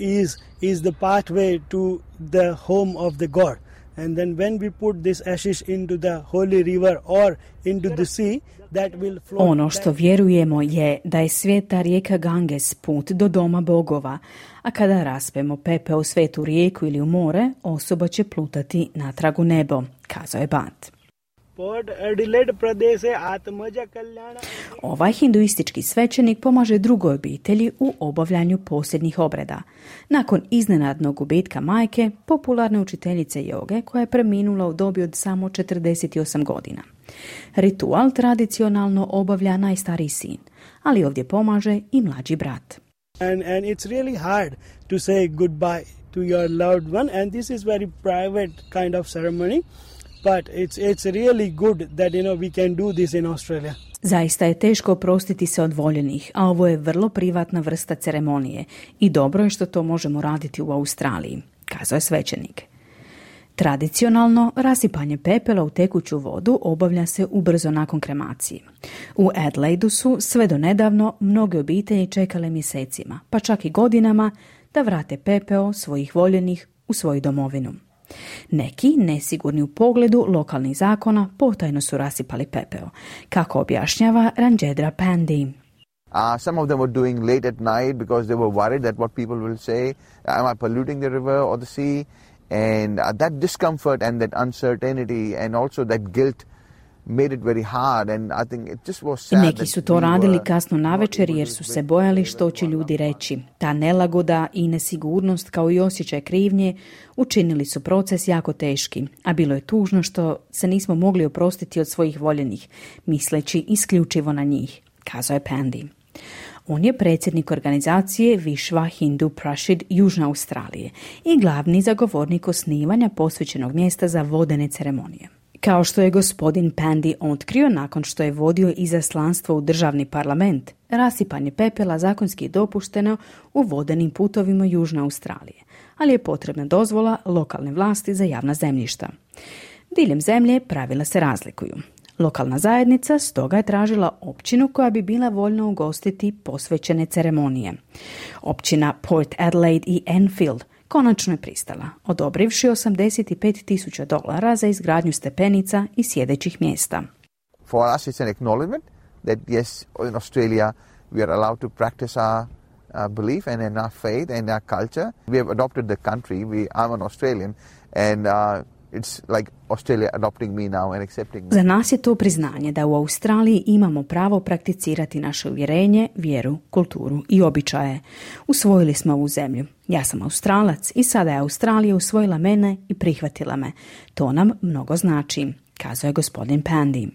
is the pathway to the home of the god. And then when we put this ashes into the holy river or into the sea, that will flow. Ono što vjerujemo je da je sveta rijeka Ganges put do doma bogova, a kada raspemo pepeo u svetu rijeku ili u more, osoba će plutati natrag u nebo, kazao je Bat. Ovaj hinduistički svećenik pomaže drugoj obitelji u obavljanju posljednjih obreda. Nakon iznenadnog gubitka majke, popularne učiteljice joge koja je preminula u dobi od samo 48 godina. Ritual tradicionalno obavlja najstariji sin, ali ovdje pomaže i mlađi brat. And it's really hard to say goodbye to your loved one, and this is very private kind of ceremony. But it's really good that we can do this in Australia. Zaista je teško oprostiti se od voljenih, a ovo je vrlo privatna vrsta ceremonije i dobro je što to možemo raditi u Australiji, kazao je svećenik. Tradicionalno, rasipanje pepela u tekuću vodu obavlja se ubrzo nakon kremacije. U Adelaidu su sve do nedavno mnoge obitelji čekale mjesecima, pa čak i godinama, da vrate pepeo svojih voljenih u svoju domovinu. Neki, nesigurni u pogledu lokalnih zakona, potajno su rasipali pepeo, kako objašnjava Ranjendra Pandey. Some of them were doing late at night because they were worried that what people will say, am I polluting the river or the sea? And that discomfort and that uncertainty and also that guilt made it very hard, and I think it just was sad. Neki su to radili kasno navečer jer su se bojali što će ljudi reći. Ta nelagoda i nesigurnost kao i osjećaj krivnje učinili su proces jako teški, a bilo je tužno što se nismo mogli oprostiti od svojih voljenih, misleći isključivo na njih, kazao je Pandey. On je predsjednik organizacije Vishva Hindu Parishad Južne Australije i glavni zagovornik osnivanja posvećenog mjesta za vodene ceremonije. Kao što je gospodin Pandey otkrio nakon što je vodio izaslanstvo u državni parlament, rasipanje pepela zakonski je dopušteno u vodenim putovima Južne Australije, ali je potrebna dozvola lokalne vlasti za javna zemljišta. Diljem zemlje pravila se razlikuju. Lokalna zajednica stoga je tražila općinu koja bi bila voljna ugostiti posvećene ceremonije. Općina Port Adelaide i Enfield konačno je pristala, odobrivši $85,000 za izgradnju stepenica i sjedećih mjesta. For us it's an acknowledgement that yes, in Australia we are allowed to practice our belief and in our faith and our culture. We have adopted the country. I'm an Australian and it's like Australia adopting me now and accepting me. Za nas je to priznanje da u Australiji imamo pravo prakticirati naše uvjerenje, vjeru, kulturu i običaje. Usvojili smo ovu zemlju. Ja sam Australac i sada je Australija usvojila mene i prihvatila me. To nam mnogo znači, kazao je gospodin Pandey.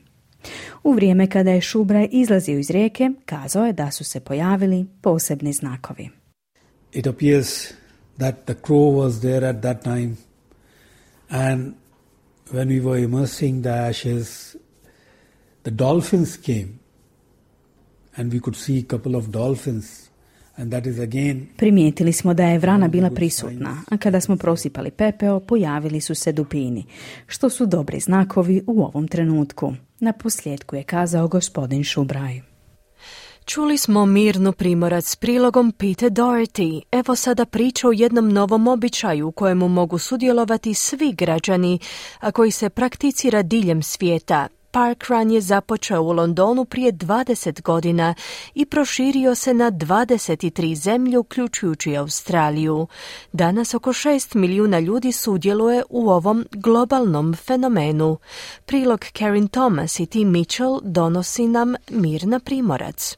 U vrijeme kada je Šubraj izlazio iz rijeke, kazao je da su se pojavili posebni znakovi. It appears that the crow was there at that time. And when we were immersing the ashes, the dolphins came, and we could see a couple of dolphins, and that is again. Primijetili smo da je vrana bila prisutna, a kada smo prosipali pepeo, pojavili su se dupini, što su dobri znakovi u ovom trenutku. Na posljedku je kazao gospodin Šubraj. Čuli smo Mirnu Primorac s prilogom Peter Doherty. Evo sada priča o jednom novom običaju u kojemu mogu sudjelovati svi građani, a koji se prakticira diljem svijeta. Parkrun je započeo u Londonu prije 20 godina i proširio se na 23 zemlje, uključujući Australiju. Danas oko 6 milijuna ljudi sudjeluje u ovom globalnom fenomenu. Prilog Karen Thomas i Tim Mitchell donosi nam Mirna Primorac.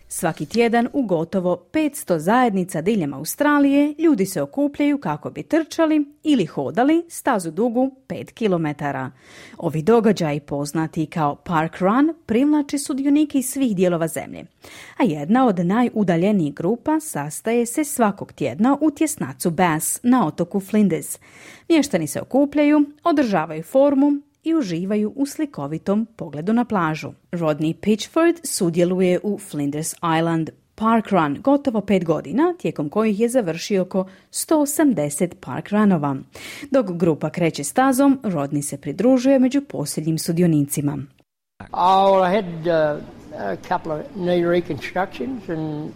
Svaki tjedan u gotovo 500 zajednica diljem Australije ljudi se okupljaju kako bi trčali ili hodali stazu dugu 5 km. Ovi događaji, poznati kao Parkrun, privlači sudionike iz svih dijelova zemlje. A jedna od najudaljenijih grupa sastaje se svakog tjedna u tjesnacu Bass na otoku Flinders. Mještani se okupljaju, održavaju formu i uživaju u slikovitom pogledu na plažu. Rodney Pitchford sudjeluje u Flinders Island Parkrun gotovo 5 godina, tijekom kojih je završio oko 180 parkrunova. Dok grupa kreće stazom, Rodney se pridružuje među posljednjim sudionicima. I had a couple of knee reconstructions and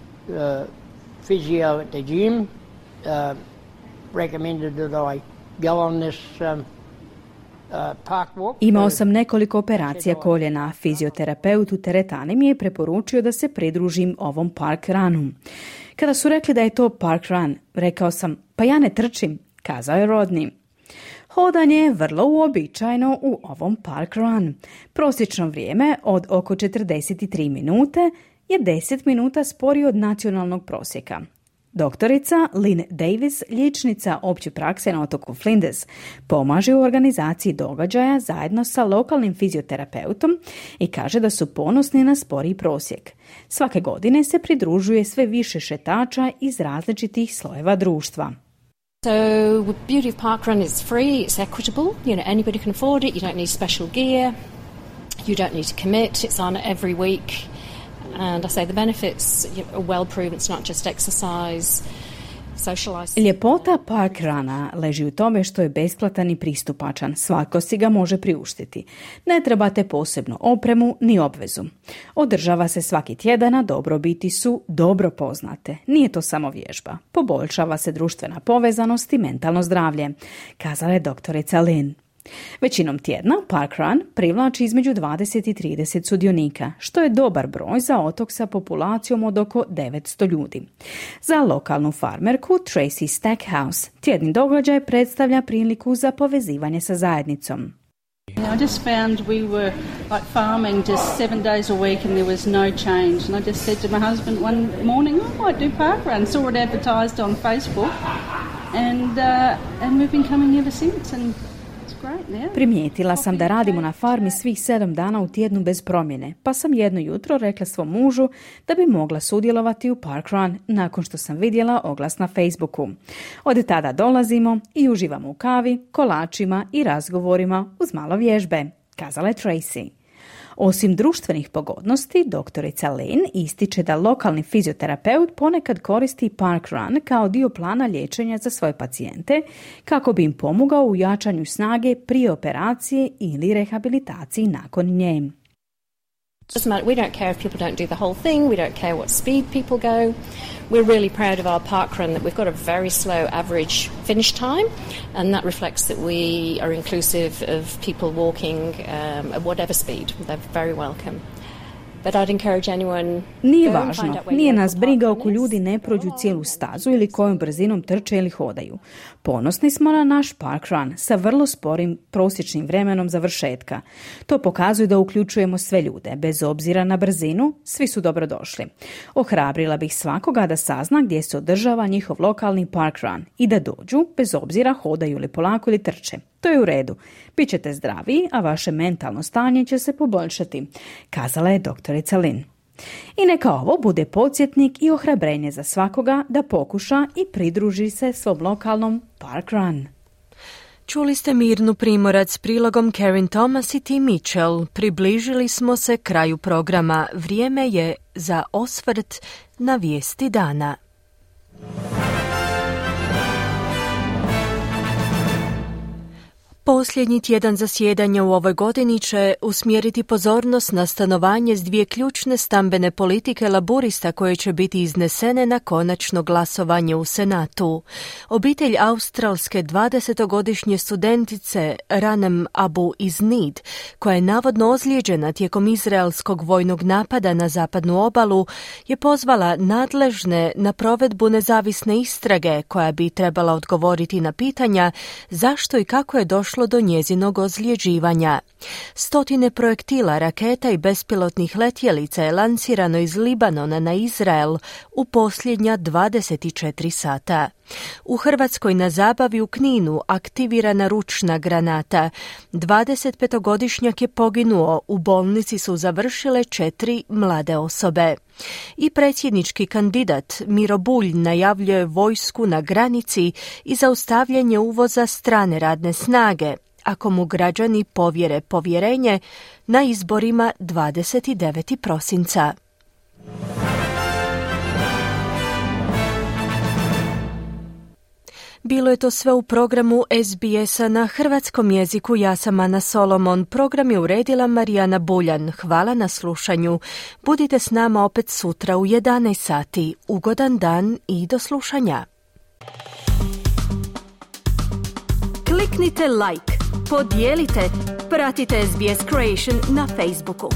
physio at the gym recommended that I go on this Imao sam nekoliko operacija koljena. Fizioterapeut u teretani mi je preporučio da se pridružim ovom parkrunu. Kada su rekli da je to parkrun, rekao sam, pa ja ne trčim, kazao je Rodney. Hodanje je vrlo uobičajeno u ovom parkrun. Prosječno vrijeme od oko 43 minute je 10 minuta sporije od nacionalnog prosjeka. Doktorica Lynn Davis, liječnica opće prakse na otoku Flinders, pomaže u organizaciji događaja zajedno sa lokalnim fizioterapeutom i kaže da su ponosni na sporiji prosjek. Svake godine se pridružuje sve više šetača iz različitih slojeva društva. So the beauty of parkrun is free, it's equitable, anybody can afford it, you don't need special gear, you don't need to commit, it's on every week. And I say the benefits are well proven. It's not just exercise. socialise. Ljepota Park Runa leži u tome što je besplatan i pristupačan. Svako si ga može priuštiti. Ne trebate posebnu opremu ni obvezu. Održava se svaki tjedan, a dobrobiti su dobro poznate. Nije to samo vježba. Poboljšava se društvena povezanost i mentalno zdravlje, kazala je doktorica Lynn. Većinom tjedna Park Run privlači između 20 i 30 sudionika, što je dobar broj za otok sa populacijom od oko 900 ljudi. Za lokalnu farmerku Tracy Stackhouse tjedni događaj predstavlja priliku za povezivanje sa zajednicom. I just found we were like farming just 7 days a week and there was no change. And I just said to my husband one morning, I might do Park Run. Saw it advertised on Facebook and we've been coming ever since. And primijetila sam da radimo na farmi svih 7 dana u tjednu bez promjene, pa sam jedno jutro rekla svom mužu da bi mogla sudjelovati u Park Run nakon što sam vidjela oglas na Facebooku. Od tada dolazimo i uživamo u kavi, kolačima i razgovorima uz malo vježbe, kazala je Tracy. Osim društvenih pogodnosti, doktorica Lynn ističe da lokalni fizioterapeut ponekad koristi Park Run kao dio plana liječenja za svoje pacijente kako bi im pomogao u jačanju snage prije operacije ili rehabilitaciji nakon nje. We don't care if people don't do the whole thing. We don't care what speed people go. We're really proud of our park run that we've got a very slow average finish time, and that reflects that we are inclusive of people walking at whatever speed. They're very welcome. But I'd encourage anyone. Nije važno, nije nas briga oko ljudi ne prođu cijelu stazu ili kojom brzinom trče ili hodaju. Ponosni smo na naš Park Run sa vrlo sporim prosječnim vremenom završetka. To pokazuje da uključujemo sve ljude, bez obzira na brzinu, svi su dobrodošli. Ohrabrila bih svakoga da sazna gdje se održava njihov lokalni Park Run i da dođu, bez obzira hodaju li polako ili trče. To je u redu. Bićete zdraviji, a vaše mentalno stanje će se poboljšati, kazala je doktorica Lynn. I neka ovo bude podsjetnik i ohrabrenje za svakoga da pokuša i pridruži se svom lokalnom Park Run. Čuli ste Mirnu Primorac s prilogom Karen Thomas i Tim Mitchell. Približili smo se kraju programa. Vrijeme je za osvrt na vijesti dana. Posljednji tjedan zasjedanja u ovoj godini će usmjeriti pozornost na stanovanje s 2 ključne stambene politike laburista koje će biti iznesene na konačno glasovanje u Senatu. Obitelj australske 20-godišnje studentice Ranem Abu Iznid, koja je navodno ozlijeđena tijekom izraelskog vojnog napada na zapadnu obalu, je pozvala nadležne na provedbu nezavisne istrage koja bi trebala odgovoriti na pitanja zašto i kako je došlo do njezinog ozljeđivanja. 100 projektila, raketa i bespilotnih letjelica je lansirano iz Libanona na Izrael u posljednja 24 sata. U Hrvatskoj na zabavi u Kninu aktivirana ručna granata. 25-godišnjak je poginuo, u bolnici su završile 4 mlade osobe. I predsjednički kandidat Miro Bulj najavljuje vojsku na granici i zaustavljanje uvoza strane radne snage, ako mu građani povjere povjerenje na izborima 29. prosinca. Bilo je to sve u programu SBS-a na hrvatskom jeziku. Ja sam Ana Solomon. Program je uredila Marijana Buljan. Hvala na slušanju. Budite s nama opet sutra u 11 sati. Ugodan dan i do slušanja. Kliknite like, podijelite, pratite SBS Creation na Facebooku.